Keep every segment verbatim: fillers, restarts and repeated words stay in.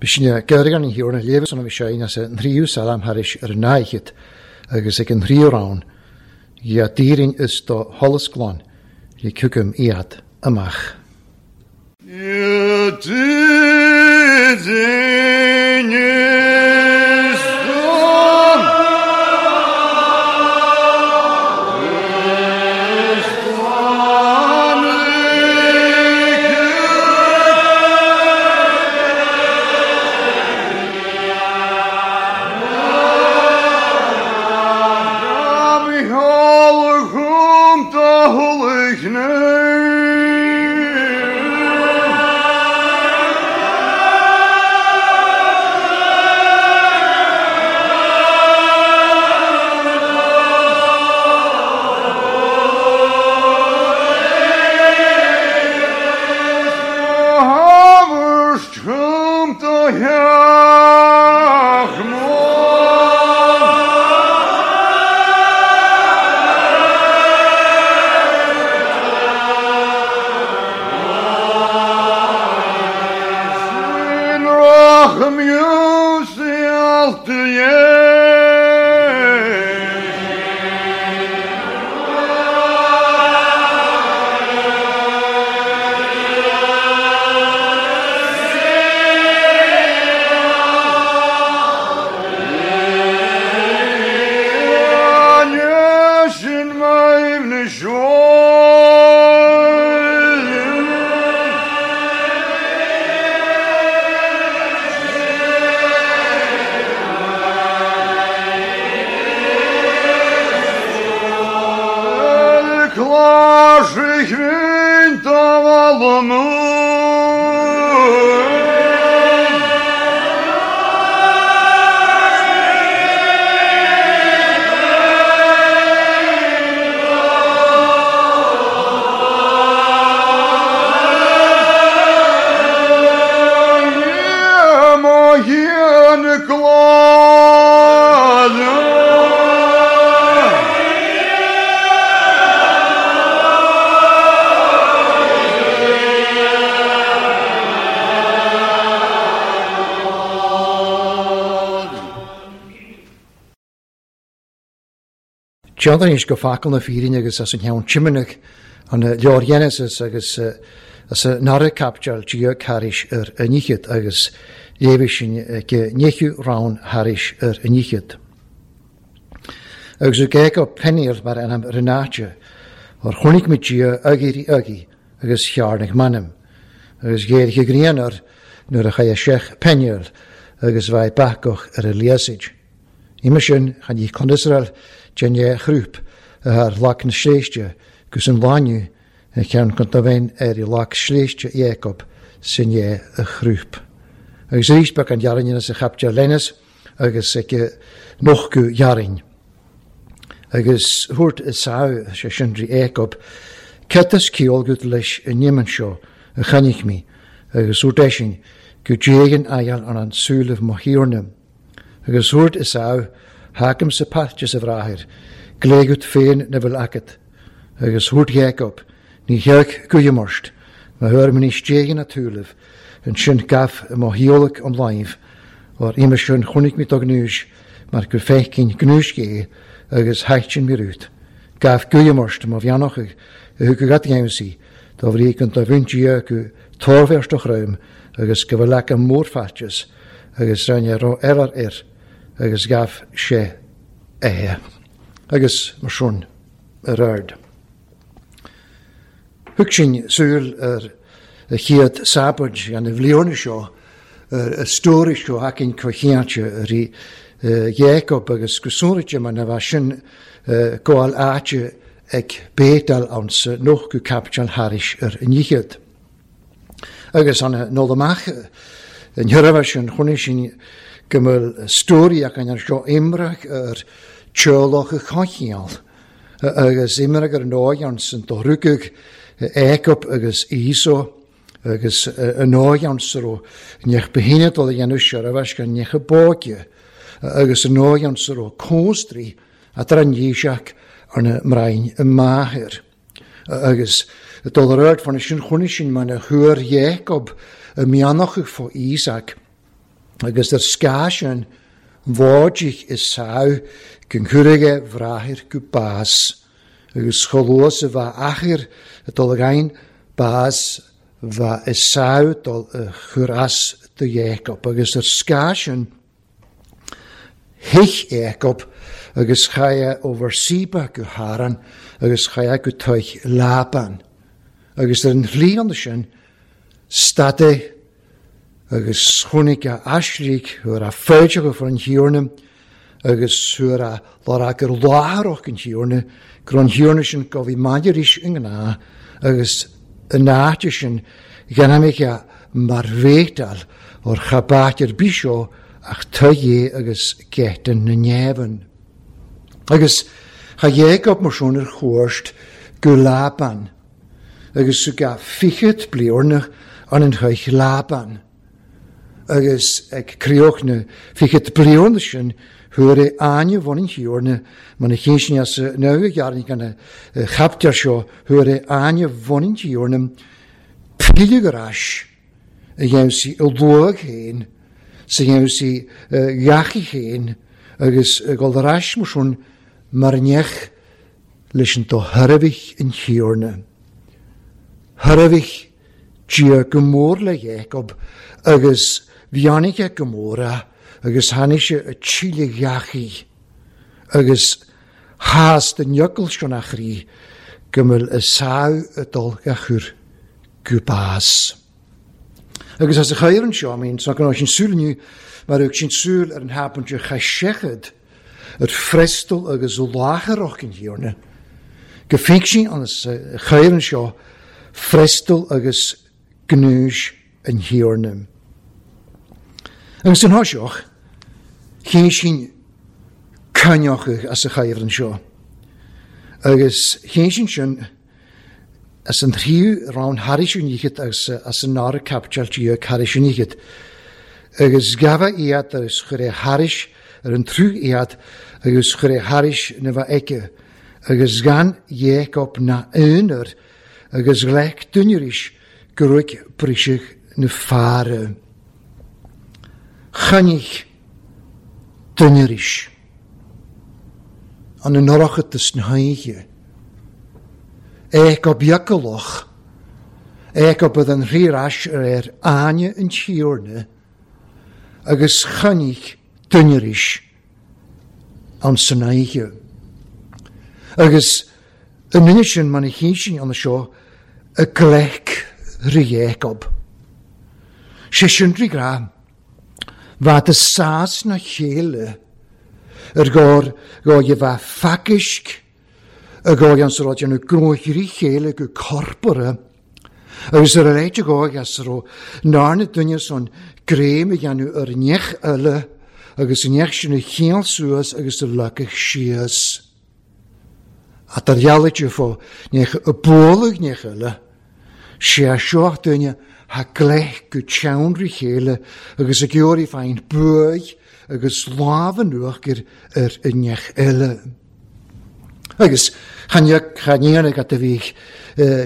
B'sine geirgan an thiúrna léamh an bhí sé as an tríú salam thairis ar an náichead agus ag an tríú rann, Dhia dírinn is do sholas glan, le cugam iad amach. Teandaris go facal na fírin agus as an cheann Timonach an leor Genesis agus as an nara capteal Dia Caris ar an níchead agus léibh sin go níchiú rann Haris ar an níchead. Agus o Jacob Peniel mar anam Renate, or chonaic mé Dia agiri agi agus chearnaigh manam, agus géirche grianar nuair a chaith seach Peniel agus bhaith bacach ar a liasaid. Ima sin chan í chun Israel Jenny Chrúp ar lac na sléiste gus an láinniú a cheann chun do bhein ar i lac sléiste Jacob sin é a chrúp. Agus arís beag an dhearn as a chapter Lennis agus ag nochú dhearn. Agus thuairt is sá sé sindrí Jacob, Cetas ceolgut leis an nimman seo a chainnich mí agus thuairt eisin go dtéigean aigheal an an súlibh mo thiarna. Agus thuairt is sá Hacam sa pairte sa bhrathair, gléigead féin na bhfuil agat, agus thuairt Jacob, ní chearc guiamorst, má thuair mé níos déigin a túlibh, an sin gaf mo thíolach an láimh, or ima sin chonaic mé do gnúis, mar gur feicinn gnúis gé agus thaitin mé rút. Gaf guiamorst má bheannach a thug go gad dá bhrí an do bhain Dia go tórbheart do chroim agus go bhfuil leac an mórfhaiteas agus rinne ró elar air agus gaf sé é agus mar sin ar ard. Thug sin súil ar a chéad sabaid an a bhliana seo ar a stóri seo hacin cochiante ar í Jacob agus go sonraite mar na bheith sin gabháil áite ag bétal ann sa noch go capiteal Haris ar an níchead. Agus an nod amach an thuirbhe sin chonaic sin go bhfuil stóri ach an seo imreach ar teolach a chochial agus imreach ar an óig an san do rugadh Jacob agus Esau agus an óig an sa raibh neach behinne dul a dhéanamh seirbheis gan neach a bóige agus an óig an sa raibh cóstrí a an dhíseach ar na mbrain y máthair. Agus dul ar ard fan sin chonaic sin mar na thuair Jacob y mianach fo Isaac. Agus ar scath sin bháidich Esau go gcuirfidh a bhráthair go bás, agus chomh luath is a bheadh athair ag dul ag aon bás bheadh Esau dul a chur as do Jacob. Agus ar scath sin thuig Jacob agus chaith ó Bheerseba go Haran agus chaith go toigh Laban. Agus ar an shlí ann sin stad agus chonaic a aislígh thuar a féideach for an Thiarna agus thuar a lár gur láthaireach an Thiarna, gur an Thiarna sin go bhí maidir arís i ngnáth agus an áit sin ghnamaiche mar bhétal or chabát ar bith seo ach tuigh agus geitin na neamhan. Agus cha Jacob mar sin ar chuairt go Laban, agus ga fichead bliornach an an thuich Laban. Agus ag crioch na fichead bliornach sin thuair é áine bhain an Thiarna, mar na cinn sin as nua ghearrainn gan a chaptear seo, thuair é áine bhain an Thiarna pilleadh ar ais a dhéanamh sí i luath féin, sa dhéanamh sí gheachaí féin, agus ag dul ar ais mar sin mar neach leis an do thairbhigh an Thiarna. Thairbhigh Dia go mór le Jacob agus bheannaigh go mór é agus tháinig sé a tíle gheachaí agus chás den fhocal sin a chroí go bhfuil Esau ag dul a chur go bás. Agus as a chair anseo, I mean, so gan sin súil inniu, mar thug sin súil ar an hapan de chaith ar frestal agus o láthaireach an Thiarna. Go féic sin an chair anseo frestal agus gnúis an Thiarna. Agus an thoiseach, chéin sin cainneochadh as a chair anseo. Agus chéin sin sin as an tríú rann thairis an fhichead agus as an nara caipiteal déag thairis an fhichead. Agus gabha iad agus chuir é thairis ar an trú iad agus chuir é thairis na bheith aici. Agus gan Jacob na aonar agus ghlaic duine arís go raibh briseadh na faire. Choinnigh duine arís an an na hoíche. É go beagálach, é go bud an rírais ar ar áine an Thiarna, agus choinnigh duine arís an san oíche. Agus an duine sin mar a chinn sin an seo a gleic rí Jacob. Sé sin rí gra, bhead a sás na chéile ar gáir go a bheith facisc a gáir an sa rud na gróirí chéile go corpora agus ar a leite gáir as ro nárna duine son gréim a dhéanamh ar neach eile agus an neach sin a chéal suas agus a leacach síos. A tar dhealaite fó neach a bualadh neach eile, sé a seo duine ha gleich go teann rí chéile agus a geoirí féin buaidh agus lámh an uachtar ar an neach eile. Agus chan ag a bhí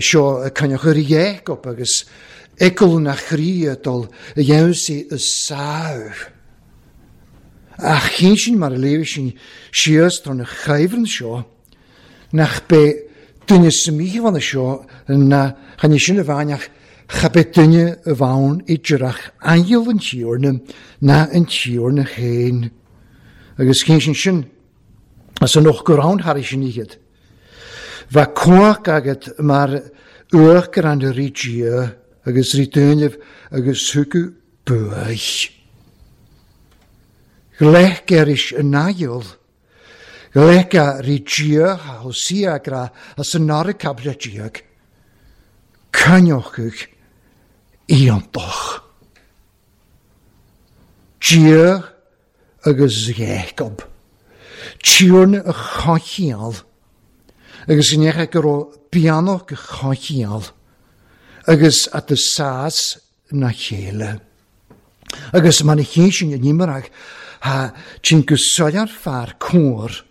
seo cainneach ar Jacob agus eicil na chroí dul a dhéanamh sí a sáir. Ach chinn sin mar a léirigh sin síos tar na chaimhreann seo, nach bé duine sa míomhanna seo na chan sin a bhainneach cha bé duine a bhain idirach aingeal an Thiarna ná an Thiarna féin. Agus chinn sin sin as an noch go rann thairis sin iad. Bheith cumhacht agat mar uachtar an rí Dia agus rí duinibh agus thugadh buaidh. Gleic aris an naill. Gleic a rí Dia a Hosea gra as an nara caibidil déag. Cainneochadh iontach. Dia agus Jacob. Tiarna a chachial. Agus yn eich go raibh beannach a chachial. Agus at y sas na chéile. Agus man a chéin sin yn imarach ha ti'n gysoliad far cwr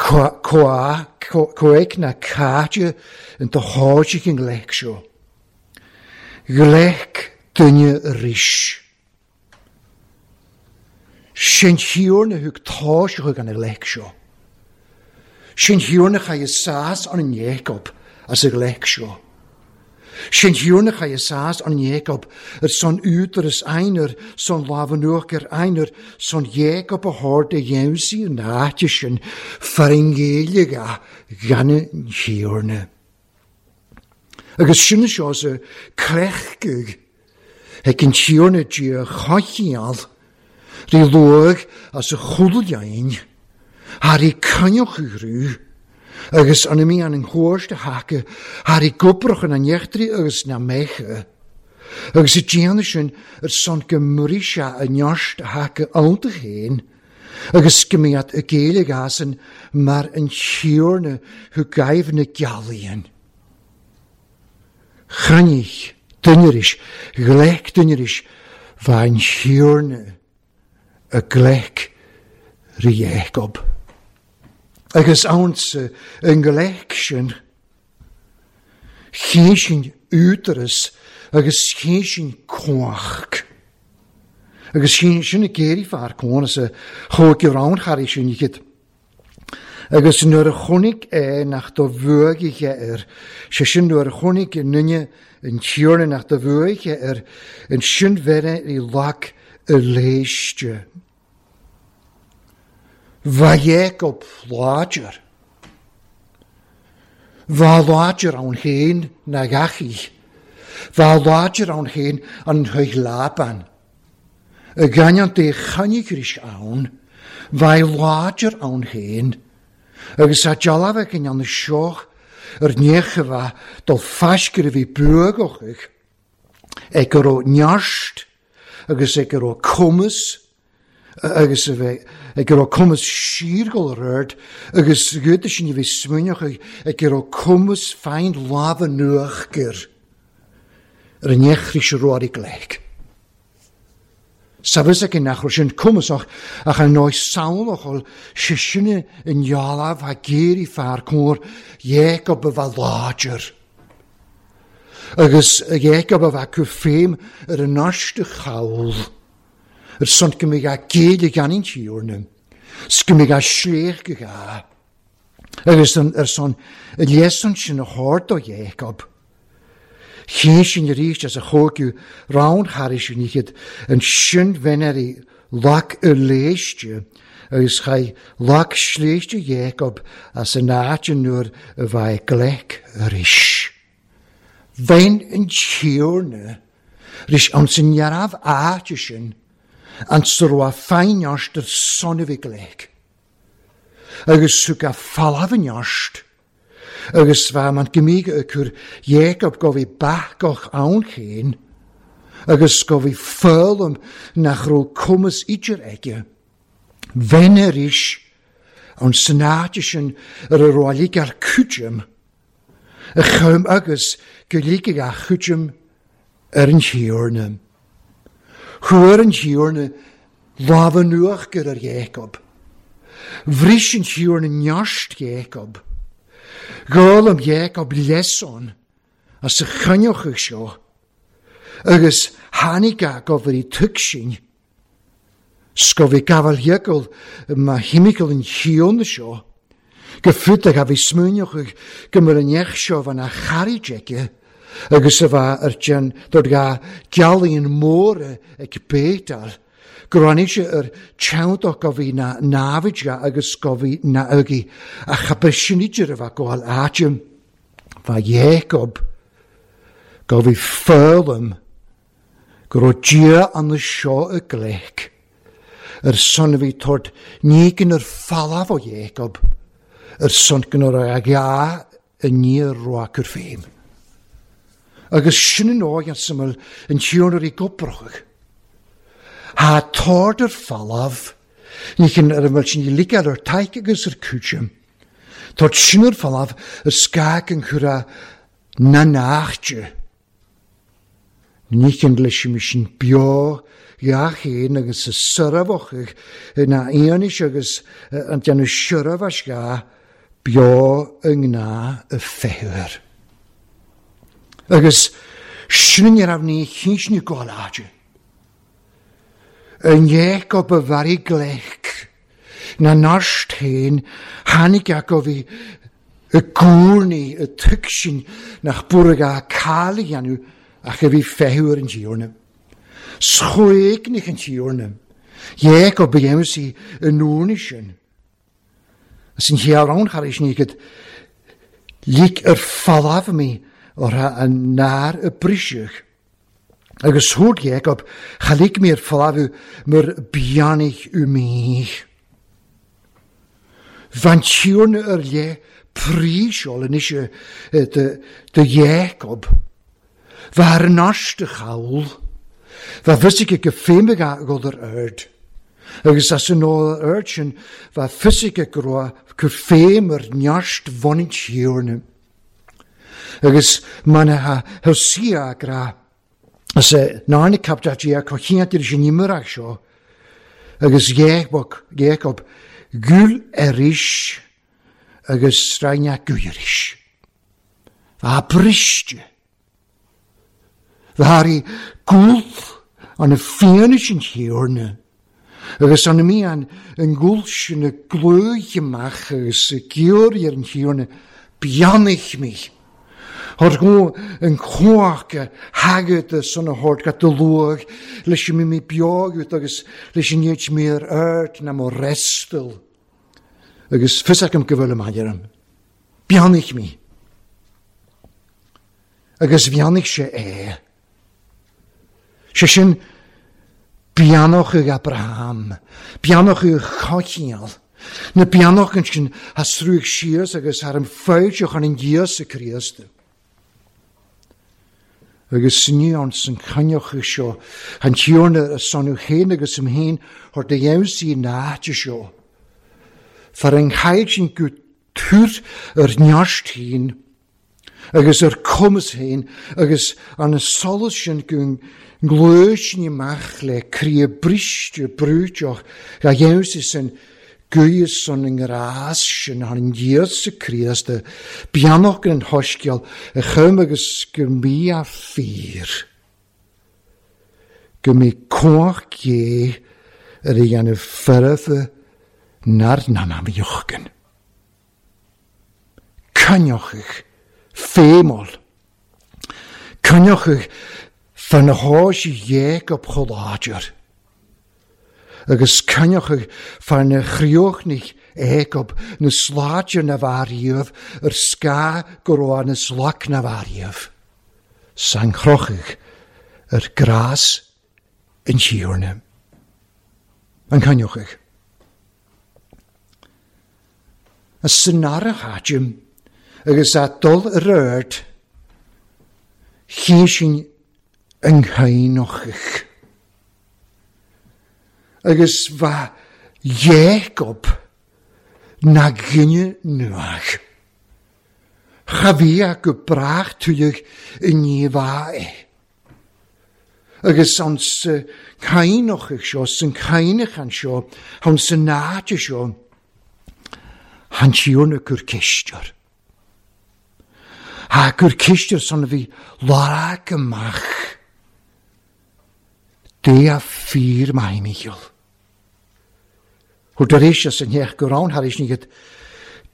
coa coeg na cáide yn do háidig yn gleic seo. Gleic duine ris. Sin thiúrna thug táiseach an leic seo. Sin thiúrna chaidh sás an Jacob as a leic seo. Sin thiúrna chaidh sás an Jacob ar son údaras einar son lámhanuach ar einar son Jacob a hord a dhéansaí an áite sin faringéile gan thiúrna. Agus sin seo sa crechgug ag an thiúrna dí chachial rí luag as a chudaljain, haar i canjoch agus an mí an an chóirste hacha, haar i goproch an nechtri agus na mecha. Agus i déanamh sin ar son go muirí sé a neart hacha ionta féin, agus go mbeadh a géile gasan mar an thiúrna thu gaibh na gealaíonn. Chruinnigh duineris, ghlec duineris, bha an thiúrna a glec rí Jacob. Agus ansa an glec sin, ché sin údaras agus ché sin cumhacht. Agus sin sin a géirí fear cónas a chóig ráncharí sin iad. Agus nuair a chonaic é nach do bhuaigh air, sé sin nuair a chonaic an duine an tiúrna nach do bhuaigh air, an sin bheith i lag a léiste. Bha Jacob láidir. Bha láidir ann féin na gachaí. Bha láidir ann féin an thuig Laban. Y ganyan de chanigris ann, bha láidir ann féin, agus a dealbh ag an seoch ar necha bha dul faiscir a bhí buagochaich, ag go raibh neart agus ag go raibh cumas agus a bheith ag go raibh cumas siargol ar ard agus gúda sin a bhí smuineach ag go raibh cumas féin lámha nuachgur ar an nechris roirí gleic. Sabhas ag nach raibh sin cumasach ach an nóis samhlachal sé sinne in dhealbh a géirí fear cóir Jacob a bheith láidir. Agus Jacob a bheith cu féim ar an náiste chaul. Ar son go mbeidh a géile gan an tíorna. S go mbeidh a sléach go ga. Agus ar son a léasann sin a hord do Jacob. Ché sin arís as a chógiú rán charí sin iad an sin bheineirí lag a léiste agus chaith lag sléiste Jacob as an áit an nuair a bheith gleic arís. Bhein an tíorna ris an san nearabh áite sin an sa féineart ar son a bhí gleic. Agus thug a falamh neart agus bha man gymig y cwr Jacob go bhí bachgoch ann chéin, agus go bhí ffölum nach ro cumas idir aige. Bhein arís an sanáide sin ar a roilig ar cúidim, a chum agus go ligig a chúidim ar an thiúrna. Chuir an thiúrna lámha nuachgur ar Jacob. Bhris an thiúrna neart Jacob. Gáil am Jacob leson as a chaniochach seo, agus tháinig a go bhí tug sin. Sgo bhí gabháil Jacob ma himical an chiúna seo, go frutach a bhí smuineochach go mar an neach seo bhan a charid aige, agus a bha ar dean dod ga gealaíonn móra ag bétal, go ráinig sé ar teanntach go bhí na námhaid agus go bhí na agaí a chapar sin idir a bheith gabháil áiteam bha Jacob go bhí ffölum go raibh Dia an seo y gleic ar son a bhí tord nígin ar falamh ó Jacob ar son go raibh a gha i níor roacur féim. Agus sin an óig an syml an tíornar i goprochach. Ha tord ar falamh, níchin ar an bhfuil sin i ligeáil ar taic agus ar cúitim. Tord sin ar falamh ar scag an chura na nachte. Níchin leis mi sin beo gach éin agus a syrafach na aonis agus an déanamh syrafas ga beo yng ngna y ffewyr. Agus sin ar ní chinsni gáil áide. Yn Jacob y fari glec, na narst hen, hanig ac o fi y gŵrni, y tygsin, nach bwrg a cael ei anw, ac y fi fehwyr yn tiwrna. Sgwegnych yn tiwrna. Jacob y emsi y nŵnisyn. As yn hiawn charis ni gyd, lig yr ffalaf mi o'r ha nar y brisych. Agus hwrt Jacob, chalig mi'r ffalaf myr bianig y mi. Van tiwrna yr le prísol yn eisiau de, de Jacob. Var nast y chawl. Va fysig y gyffemig a god yr erd. Agus as yn ôl yr erd sin, va fysig y groa cyffem yr nast fonin tiwrna. Agus man ha helsia gra. As e narni captat ia cochiant i'r sin imrach sio. Agus Jacob, Jacob, gul erish, agus straina gwirish. Va briste. Va hari gul an y fianis yn hiwrna. Agus an mi an yn gulsh yn y glwch ymach agus y gyr i'r yn hiwrna bianich mi. Hor gw yn chwach hagyd y son o hort gat y lwg leis mi mi biogwyd agus leis i nid mi'r ert na mo restel. Agus fysach am gyfel yma am. Bianich mi. Agus fianich se e. Se sin bianoch ag Abraham. Bianoch ag chochial. Na bianoch yn sin hasrwch sias agus har am ffawdioch an yn Iesu Christ. Agus ni ons yn cynioch y sio, han tiwrna y sonw hen agus ym hen, hor dy iawn sy'n naat y sio. Far yng nghaid sy'n gwtwyr yr niast hyn, agus yr cwmys hyn, agus an y solus sy'n gwng glwys ni mach le cri y brist y brwydioch, ga iawn sy'n gwys son yng ngras sy'n han yn Iesu Christ, y bianoch yn hosgiol, y chym agus gymi a ffyr. Gymi coch ge yr ei an y ffyrdd na'r nanam iochgyn. Cynioch eich ffemol. Cynioch eich ffynhos i Jacob choladr. Agus cynioch eich ffyn chrioch Jacob na sladr na fariodd yr sga groa na slac na fariodd. Sa'n chroch eich yr gras yn siwrna. Yn cynioch eich. Y synarach adjum, agus a dol yr erd, chi sy'n ynghaenoch eich. Agus fa Jacob na gynnu nuach. Chafia gybrach tuig yn ni fa e. Agus ons cainoch eich sio, sy'n cainach an sio, hon sy'n nad sio, han siwrna gwr cistio'r. Ha gwr cistio'r son fi larag ymach. De a ffyr mae michiol. Hwr dyr eisiau sy'n hech gwrawn har eisiau ni gyd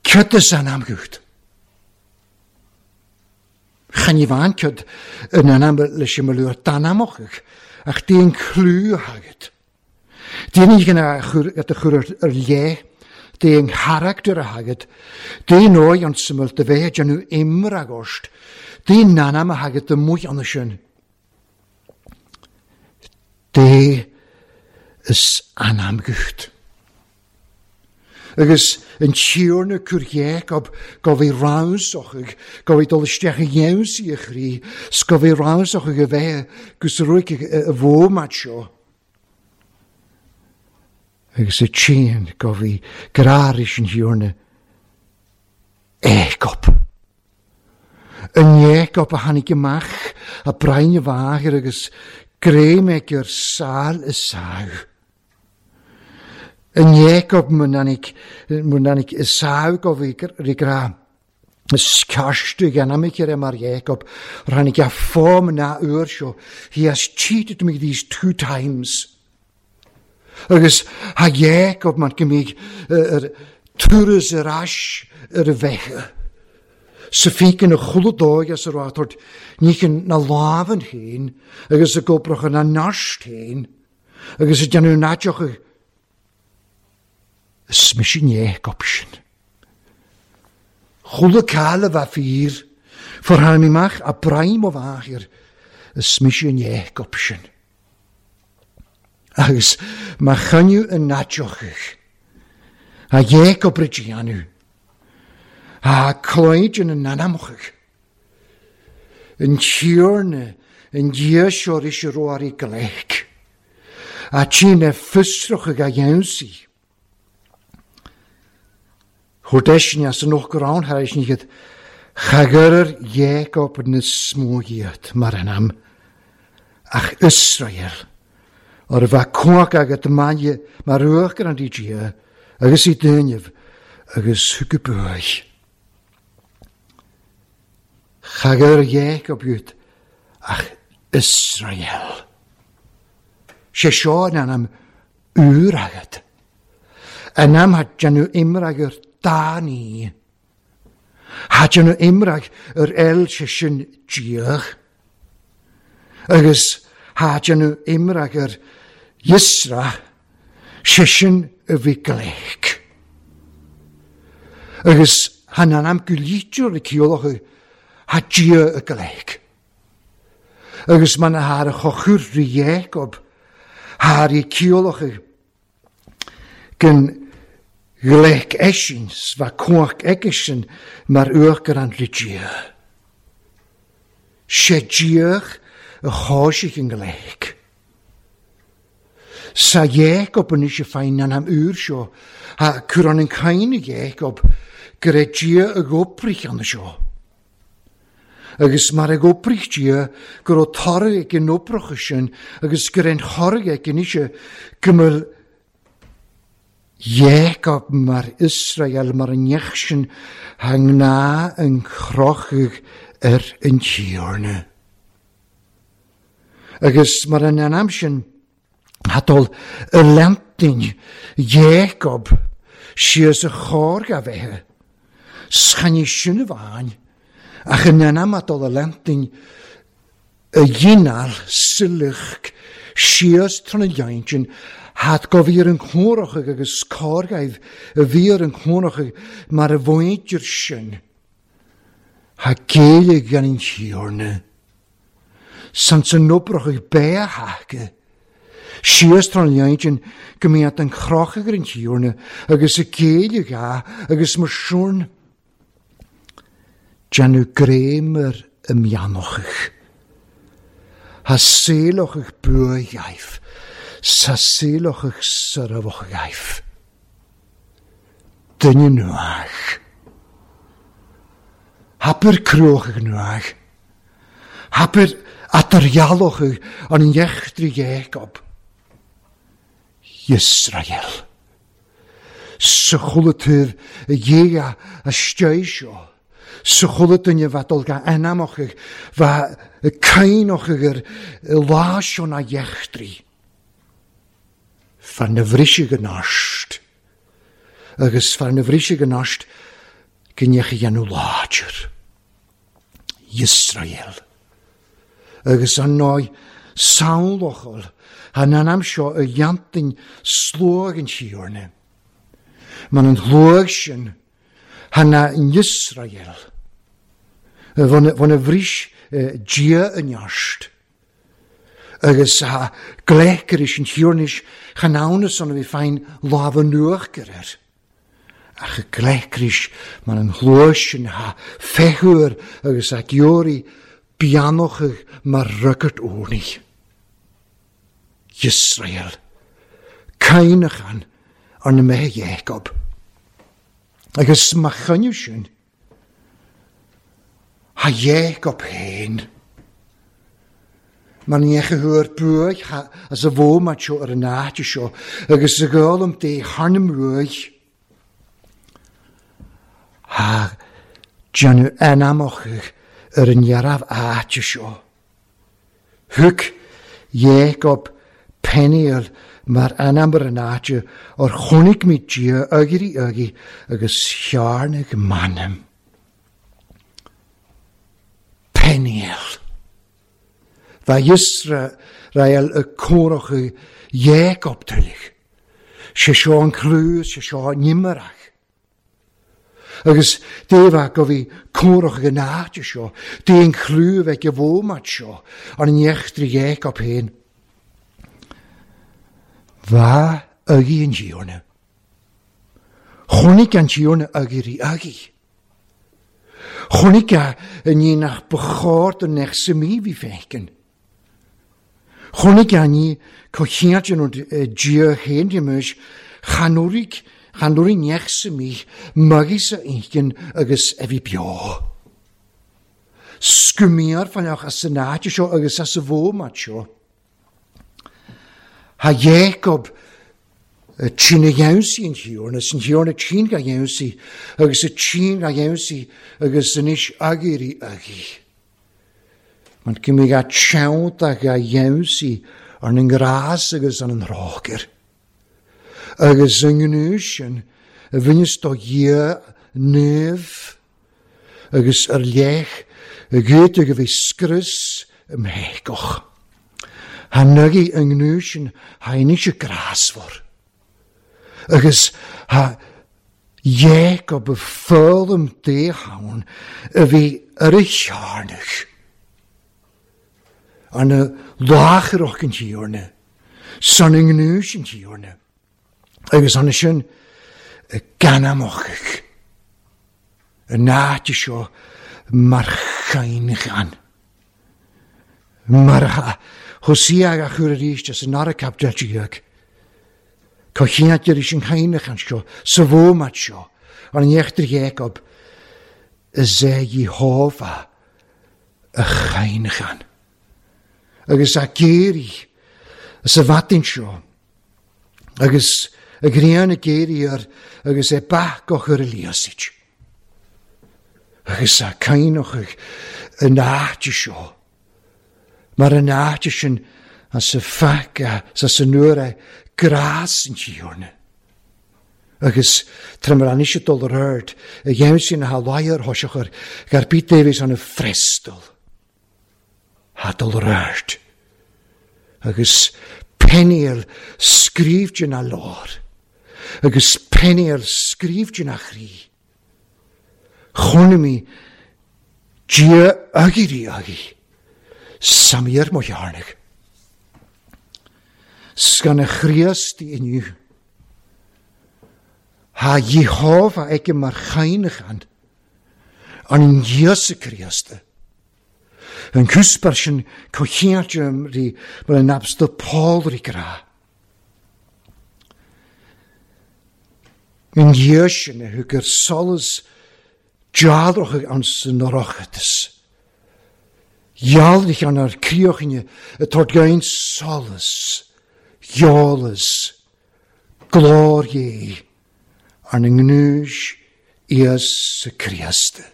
cydys an amgwyd. Chan i fan cyd yn anam leis i mylwyr dan amoch ach di'n clw hagyd. Di'n i gyna at y chwr yr le, di'n character a hagyd, di'n oi ond syml dy fe dyn nhw imrag ost, di'n nanam a hagyd y mwy ond ysyn. De is anamgwyd. Agus yn tiwrna cwr Jacob gofi rawsoch, gofi dol ystech y iawn si y chri, sgofi rawsoch y fe, gwrs rwyc y fo sio. Agus y tîn gofi grar is yn tiwrna Jacob. Yn Jacob a hanig ymach a brain y fagr agus greimeg yr sal y sag. Yn Jacob mwnanig, mwnanig y sawg o fi gra. Scarstu gan am mar Jacob, rhanig a ffom na yw'r sio. He has cheated me these two times. Agus ha Jacob mar go mbíodh ar turas ar ais ar a bheithe. Sa fícin a chuile dóigh as a raibh ort níchin na lámhan féin agus a gcobracha na nast féin agus a déanamh naiteacha. Is mise an Jacob sin. Chuile cáil a bheith fíor, fuair tháinig amach a braim ó mháthair, is mise an Jacob sin. Agus má choinneadh an naiteacha, a Jacob a déanamh, a cloíd ina n-anamcha, an Tiarna an Dia seo is a raibh ar gleic, a tí na fiosracha a dhéansaí. Chuir deiseanna as an uachtarán thar éis ní iad chagair Jacob na smó iad mar an am, ach Iosrael, ar a bheith cumhacht agat maille mar uachtar an Dia agus i duinibh agus thug go buaidh. Chagair Jacob iad ach Iosrael. Sé seo an ainm úr agat. An am ha déanamh imreag ar dá ní. Ha déanamh imreag ar eil sé sin Diach. Agus ha déanamh imreag ar Yisra, sé sin a bhí gleic. Agus han an am go lítear le ceolacha ha Dia a gleic. Agus man a haar a chochur rí Jacob, haar i ceolacha gan gleic eisin, sva cumhacht eigesin mar uachtar an rí Dia. Sé Diach a cháisich an gleic. Sa Jacob anois a féin an am úr seo, ha cur an an caine Jacob go raibh Dia a gcoprich an seo. Agus mar a gcoprich Dia go raibh toradh ag an oibreacha sin agus go raibh an chorraigh ag anois go mbeadh Jacob mar Israel mar an neach sin ha ngná an chrochadh ar an Tiarna. Agus mar an am sin hadol y lentyn Jacob síos a chór ga bheithe. Schaní sin a bhain, ach an am hadol y lentyn y dhinal silach síos tron y leintyn had go bhí ar an chlórach agus córgaibh a bhí ar an chlórach mar a bhaintear sin. Ha céile gan an Tiarna. San san obrach beathacha. Síos tron leintyn go mbíonn an chrochadh ar an Tiarna agus a céile ga agus mar siúrn. Déanamh greim ar y mianochach. Ha saolachach buaidh. Sa saolachach sarabhach. Duine nuach. Hapur cruachach nuach. Hapur atarjalachach an jechtri Jacob. Israel. Sa chulatur a dhéa a steisio. Sa chulatunne bheith ga anamachach bheith a cainachach ar lá seo na jechtri. Fan na bhrise gnast. Agus fan na bhrise gnast gneach a dhéanamh láidir. Israel. Agus an náid samhlachal han an am seo a dhéantain slóg an Tiarna. Man an shlóg sin han na Israel. Van a bhris Dia an neart. Agus ha gleicear is an Tiarna chan ann san a bhí féin lámh nuachgar air. Ach a gleicear is man an shlóg sin ha fechuir agus a georí beannochach mar rugart ónaí. Israel. Cainachan ar na mbeithe Jacob. Agus má choinneadh sin, ha Jacob féin. Mar ní a thuair buaidh as a bhómat seo ar an áite seo, agus a gálam dé thar na mbuaidh. Ha déanamh anamachach ar an dhearabh áite seo. Thug Jacob Peniel mar ainm ar an áit ar chonaic mé Dia agaibh agaibh agus chearnaigh m'anam. Peniel. Bha Iosrael y córach Jacob tuillich. Sé seo an clú, sé seo an nimmearach. Agus défa go bhí córach an áit seo, dé an clú bheith a bhómat seo, an nechtri Jacob féin. Bha agi an Tiarna. Chonaic an Tiarna agaibh agaibh. Chonaic a ní nach bechóir don nech sa mí bhí feiceann. Chonaic a ní cochiant an Dia féin dimuis chanúraigh chanúraigh nech sa mí magis a inchinn agus a bhí beo. Scumíar fanach as an áit seo agus as a bhómat seo. Ha Jacob trína dheimhsí an Tiarna, an Tiarna trín ga dheimhsí, agus a trín ga dheimhsí, agus anois agaibh agaibh. Man go mbeidh a teannta ga dheimhsí ar an ngrás agus ar an thrócaire. Agus an gnúis sin a bhaineas do Dhia naomh agus ar leith a gcuid go bhí scrios im théiceach. Ha nagaí an gnúis sin tháinig sé grásmhar. Agus ha Jacob a foghlaim dé ann a bhí ar a chearnach. An na lácharach an Tiarna, san an gnúis an Tiarna. Agus an sin a ganamachach. An áit seo mar chainachan. Mar ha Hosea a chur arís as an ara capdealtíag. Cochiant ar an chainachan seo, sa bhómat seo, an neachtar Jacob, is é Jehova a chainachan. Agus a géirí as a bhatin seo, agus a ghrian a géirí ar, agus é bach ar a líosaid. Agus a cainachach an áit seo, mar an áit sin as a faca sa san nuair é grás an Tiarna. Agus tramar an isio dul ar ard, a dhéim sin a láir thoiseachar gar bít Davies an a frestal. Ha dul ar ard. Agus Peniel scrífdin a lár. Agus Peniel scrífdin a chrí. Chonaic mé Dia agaibh agaibh. Samir mo chearnach. Sgan a Chríost inniu. Ha Jehova aige mar chainachan an Íosa Críosta. An cúspar sin cochiant rí mar an abstal Paul rí gra. An Dhia sin a thug ar solas dealrach an san oireachtas. Dhealraigh an ar críochaine atá gain solas, geolas, glór dhé ar na ngnúis Íosa Críosta.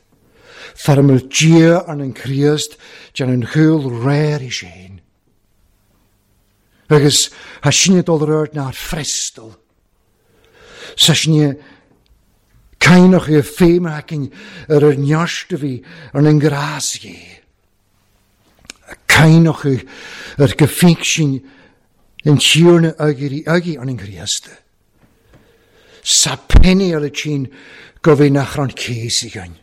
Farmel Dia ar an Críost dean an chúl réir i séin. Agus ha sinne dul ar ard ná frestal. Sa sinne cainach i féimhacin ar ar nearst a bhí ar an ngrás dhé. Cainach ar go fíc sin an Tiarna agaibh agaibh an Chríosta. Sa Peniel a tsin go bhí nach ran céisi gain.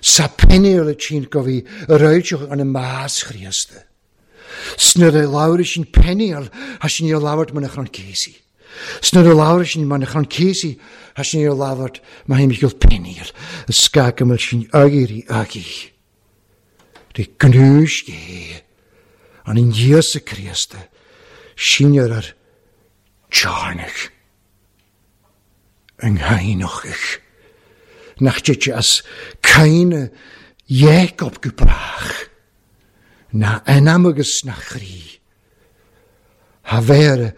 Sa Peniel a tsin go bhí réiteach an más Chríosta. Snuair a labhair sin Peniel ha sin ar labhairt mar nach ran céisi. Snuair a labhair sin mar nach ran céisi ha sin ar labhairt mar himich Peniel. A scagamil sin agaibh agaibh. Rí gnúis dhé an in Íosa Críosta sin ar ar tearnach an chainachach. Nach dtite as caine Jacob go brach na anam agus na chrí. Ha bhéar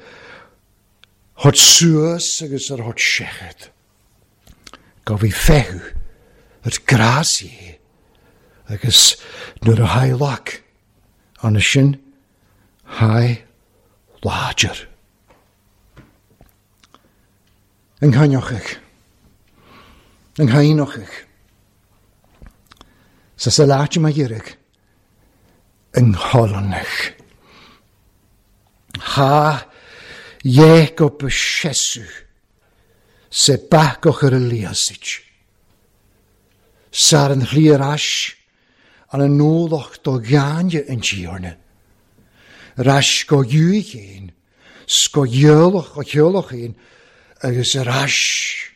hot suas agus ar hot seachad. Go bhí fehu ar grás dhé agus nuair a haigh lac an sin haigh láidir. An gcainneochaidh. An gcainneochaidh. Sa sa láit ma dheireadh. An ghollanach. Ha Jacob sesu se bacoch ar y liasid. Sar an chliar ais an an nólach do gaine an tíorna. Rais go dúchéin, sgo dheolach o cheolachéin, agus rais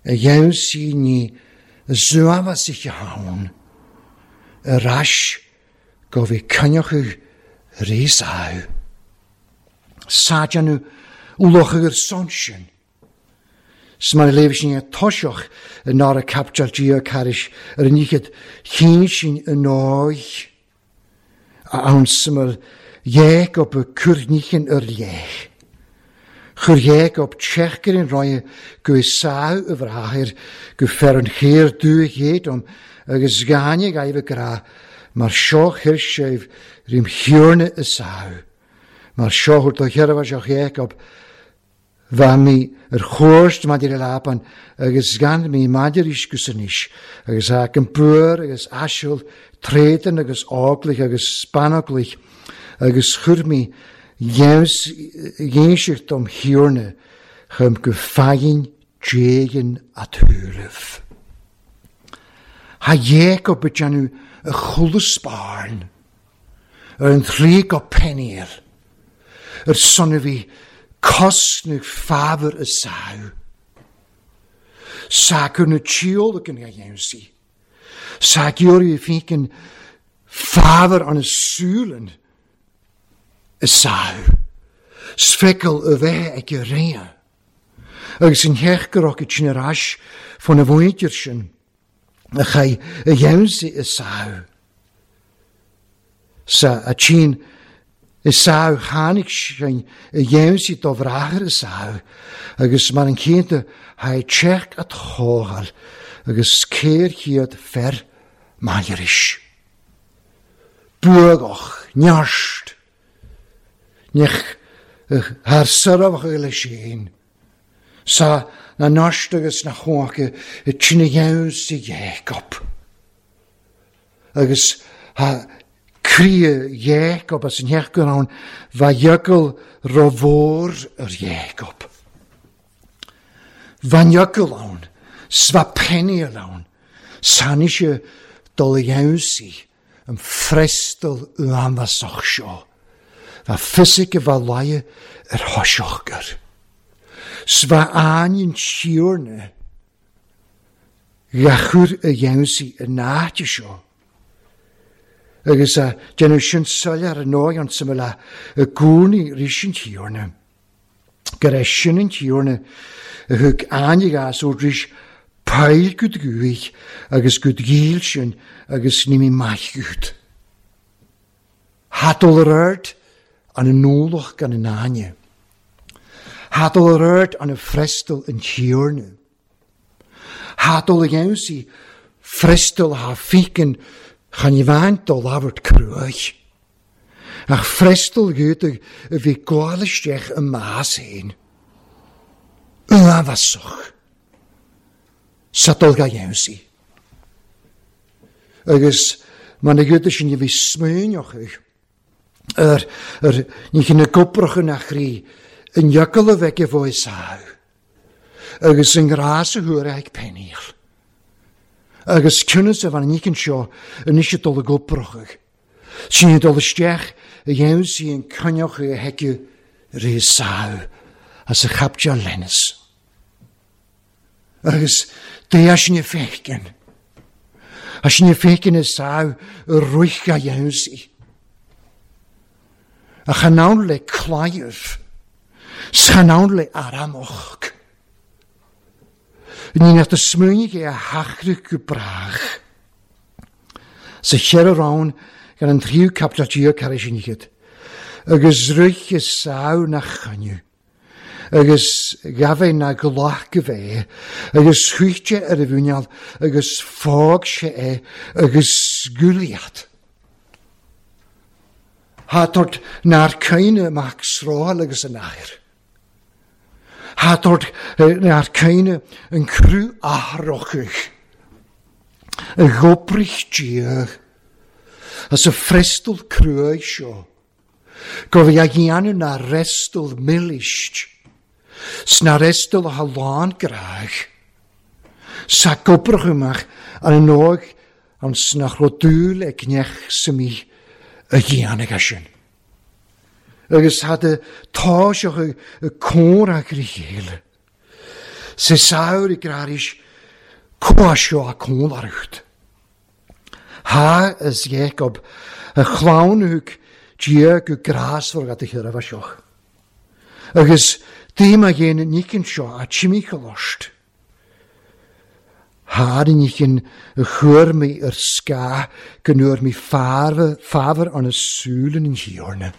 a dhéansaí ní zuamhas ich haun. Rais go bhí cyniochú rís áú. Sáideanú uloch ar son sin. Sman léh sin a toiseach i ná a capteal dí caris ar an níchad chin sin an náich a ann samar Jacob a curníchin ar léich. Chur Jacob tseachar in roie go i sáú a bhrathair go fer an chéir dúich om agus gáine gaibh gra mar seo chuir sibh rím thiorna i sáú. Mar seo chuir do cheirmh seo Jacob bha mí ar chóist maidir i Laban agus gan mí maidir isgus anois agus a an buir agus aisiúil tréidan agus áglaich agus spanaglaich agus chuir mí dhéanseacht dom thiorna chum go fagin déigin a tuairibh. Ha Jacob a déanamh a chulasbárn ar an trí go Peniel ar son a bhí cosnú fábhar a sáú. Ságur na tíolacan a dhéansaí. Ságiúrí a fícin fábhar an a súlan a sáú. Sfeiceal a bheith ag a réa. Agus an theachgarach a sin ar ais fan a bhaintear sin a chai a dhéansaí a sáú. Sa a tsin is sáú tháinig sin a dhéansaí do bhrathair a sáú agus mar an céanta ha teach at chógáil agus céir chiad fer mairis. Buagach, nearst, nech haar sarabach le sin. Sa na narst agus na chócha i tsinna dhéansaí Jacob. Agus ha cria Jacob as an theach ann bha dheacail romhór ar Jacob. Bha dheacail ann, sva Peniel ann, sanishe dul dhéansaí an frestal uanbhasach seo. Bha fisic a bha laie ar thoiseachgar. Sva áin siúrna gachur a dhéansaí a náite seo. Agus a déanamh sin soiléir an nóigh an samhail a gcónaí rís an tíorna. Gur é sin an tíorna a thug áine ó rís peil gud gúich agus gud gíl sin agus ní mí maith gud. Hatol ar ard an an nólach gan an áine. Hatol ar ard an a frestal an tíorna. Hatol a dhéansaí frestal ha fícin chan i bhaint do labhairt cruaich. Ach frestal gútach a bhí gáil isteach y mas héin. Uafasach. Sa dul ga dhéansaí. Agus mar na gútach sin a bhí smaoineach ar ar ní chin na goprach yn achrí yn iacol a bheith fo sáú. Agus yn grás a thuair ag Peniel. Agus cynnas a fan nícin seo yn eisiau dul y goprach. Sy'n dul isteach a dhéansaí an cynioch a heciw rhi sáú as a chaptia lenus. Agus dé sin y fechgyn. A sin y fechgyn y sáú y rwych a dhéansaí. A chanawn le claif. Schanawn le aramoch. Ní nach de smuinigh é a hachrach go brach. Sa cheir rán gan an tríú captal dí caris iad. Agus ruich is sáú na chaniu. Agus gabh na glach go bheith. Agus chuite ar a bhúneal agus fág sé é agus gúliad. Hátort nár caoine mac sráil agus an air. Hátort nár caoine an crú athrochach. A ghobrich diach. As a frestal cruaigh seo. Go bhí a dhéanamh na restal milist. Sna restal a lán graach. Sa gobrach amach an an óg an snach rodúil ag neach sa mí a dhéanamh sin. Agus had y táiseach y cór ag rí chéile. Sa saor i graris cóasio a cónarcht. Ha is Jacob a chláwnwg dia go grasfar gad y chyraf a sioch. Agus dim a dhéan nícin seo a timíchalost. Haar nícin a chuir mi ar sca go nuair mi fábhar an a súlan in hiorna.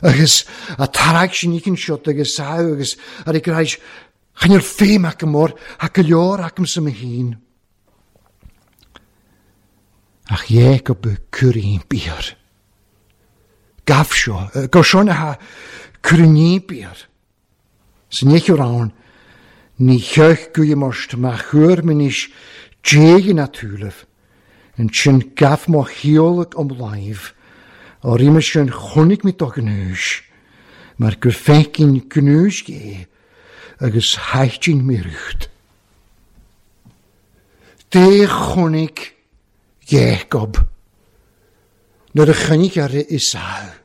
Agus a tarag sin nícin seo agus sá agus ar i gráis chan ar féim ac mór ha go leor acam sa mo hín. Ach Jacob y cuirín biar. Gaf seo, go seo ha cuirín biar. Sa níoch ann, ní cheich guíomarst má chuir minis déigin atúleh, an sin gaf má chiolach om laimh, á rima sin chonaic mi do gnúis, mar gur fécin gnúis gé, agus haitin mi rucht. Dé chonaic Jacob, nuair a chonaic ar Esau.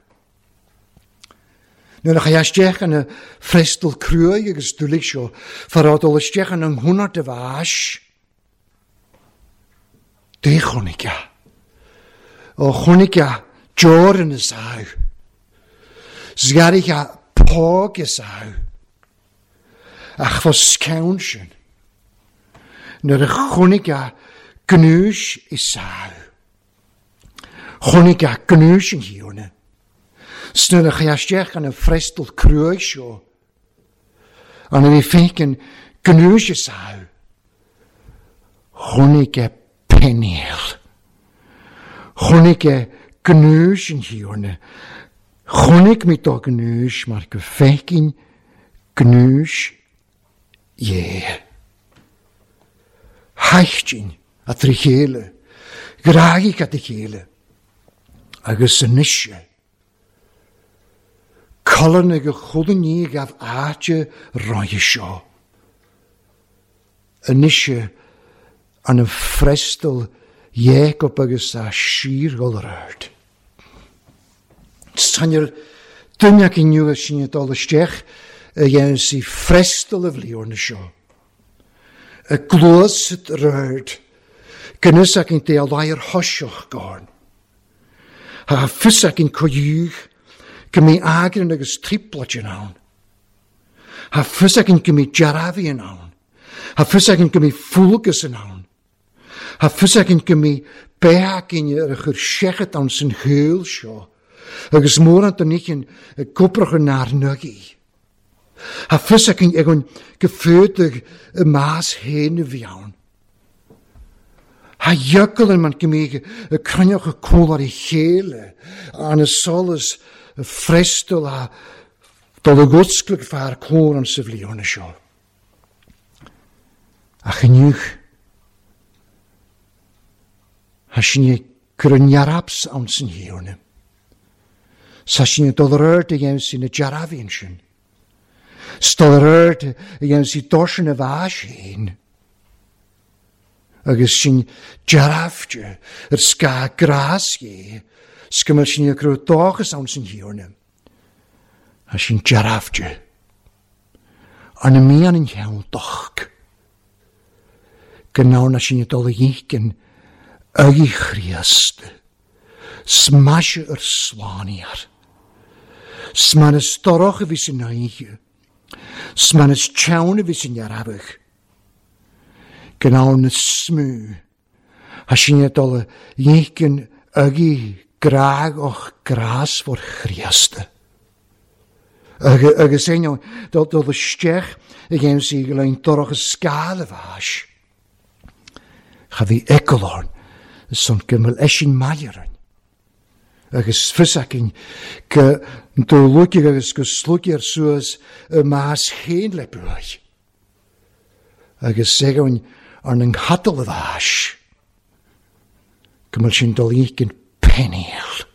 Nuair a chaith isteach an y frestal cruaigh agus dúlaigh seo, farádul isteach an an húnart a bhais. Dé chonaic a. Ó chonaic a deor in Esau. Sgarich a póg Esau. Ach fos ceann sin. Nuair a chonaic a gnúis Esau. Chonaic a gnúis an hiorna. Snuair a chaith isteach an an frestal cruaigh seo. An a bhí fécin gnúis Esau. Chonaic a Peniel. Chonaic a gnúis an hiorna. Chonaic mi do gnúis mar go fécin gnúis Dhé. Haichtin a trí chéile, gráigh a chéile, agus san nise. Colan ag a chudan ní gaf áite roiche seo. A nise an an frestal Jacob agus a sír ard. Sanir duine ac inniu sin dul isteach a dhéanamh si frestal a bhlíorna seo. A glwys röd, gynys ac yn deall air hosioch gorn. Ha ffys ac yn coiwch, gymi agrin agus triplat yn awn. Ha ffys ac yn gymi jarafi yn awn. Ha ffys ac yn gymi ffwlgus yn awn. Ha ffys ac yn gymi beag yn yr ychyr siechet awn sy'n hyl sio. Agus môr an dynichin y gwbrach yn arnygu. Ha ffys ac yn egon gyffödig y mas hen y fiawn. Ha jögel yn man gymig y crynoch y cwl ar ei chéile, an y solas y frestol a dol y gwsglyg ffa'r cwr an seflion y sio. A chynniwch, ha sy'n ei gryniarabs awn sy'n hiwn. Sa sy'n ei dol yr yrd y iawn sy'n y jarafin sy'n. Stol yr yrd y iawn sy'n dorsin y fas hyn. Agus sy'n jarafte yr sga gras ge, sgymel sy'n ei grw dochus awn sy'n hiwn. A sy'n jarafte. An y mian yn iawn doch. Gynawn a sy'n ei dol y iechyn ygi chriast. Smasio yr slaniar. Sman ystorach y fi sy'n naich. Sman ys chawn y fi sy'n yarafach. Gynawn y smw. A sy'n ei dol y iechyn ygi graag o'ch gras for chriast. Agus einio, dol dol y stech y gem sy'n gylain dorach y sgal y fas. Cha fi ecolorn, son gymel eisi'n maieran. Agus fios againn go ndúlóige agus go slúige ar suas y mas chéin le buaidh. Agus segainn ar an ngadail a bhais. Go bhfuil sin dul ícin pennéal.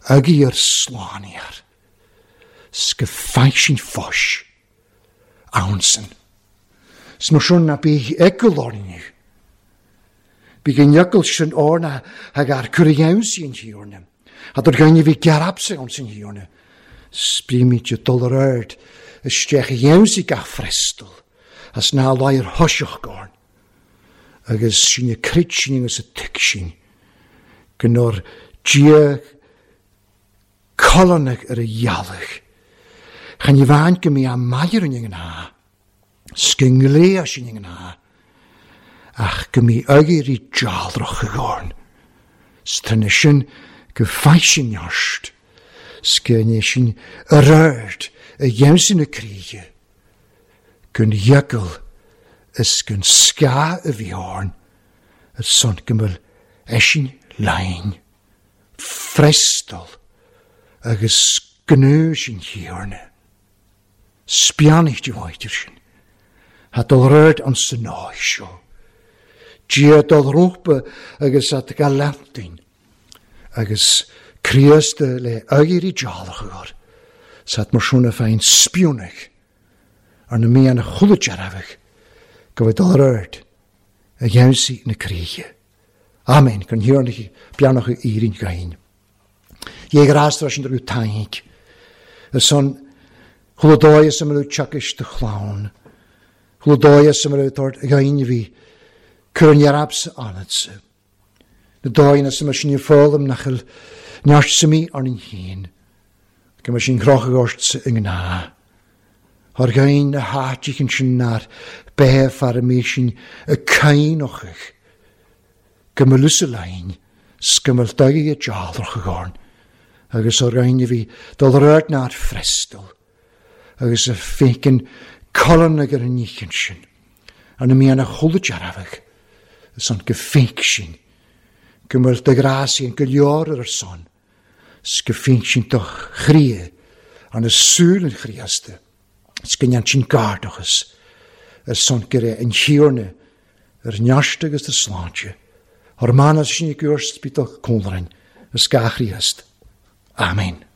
Ag ar slániar. 's go feidh sin fáis. Ansan. 's mar sin na bí eagal orainne. Bí go n-eagal sin orna ag ar cur a dheamhsaí an thiarna. Had ar ghainne bhí gearabsa ann san thiarna. Sprímid dul ar aird isteach a dheamhsaí gach frestal, as ná láir thoiseach gorn. Agus sin a crid sin agus a tuig sin, go nár Dia colonnach ar a dhealach. Chan i bhain go mí a maidir an ná, 's go ngléa sin an ná, ach go mí agéirí dealrach a gorn. 's trinne sin go feidh sin neart, 's go ndé sin ar aird a dheamhsaí na críche, gon eagal is gon scáth a bhí orn, ar son go bhfuil eisin lein, frestal agus gnó sin thiarna. Spianacht bhaidir sin. Ha dul rud an sanáis seo. Dia dul rópa agus at galantin. Agus Críosta le agéirí dealach agar. Sat mar siúna féin spiúnach ar na míanna chuile dearfach go bhfuil dul rud a dheamhsaí na críche. Amen, gon thiarna beannach éirín gain. Dhé grástar sin drú taink. Ar son chuile dóigh is a mbeadh teachais do chlann. Chuile dóigh is a mbeadh tort gain bhí cur an dhearabsa anatsa. Na dóigh is a mbeadh sin i foghlaim nach bhfuil neart suimí ar an chéin. Go mbeadh sin crochadh ortsa i ngnáth. Thar gain na háiteachan sin nár beith fear a mé sin y cainochach. Go mbeadh lusa lein, 's go mbeadh daigh a dealrach a gorn. Agus ar gain a bhí dul rud nár frestal. Agus a fécin colon ag ar an níchan sin. An na míanna chuile dearfach. Is an go féic sin. Go mbeadh de grásaí an go leor ar son. 's go féic sin do chrí an na súil an Chríosta. 's go ndéan sin gardachas ar son go raibh an thiarna ar neart agus ar sláinte. Ar manas sin i gcúirt spítal cónrainn is gach Chríost. Amen.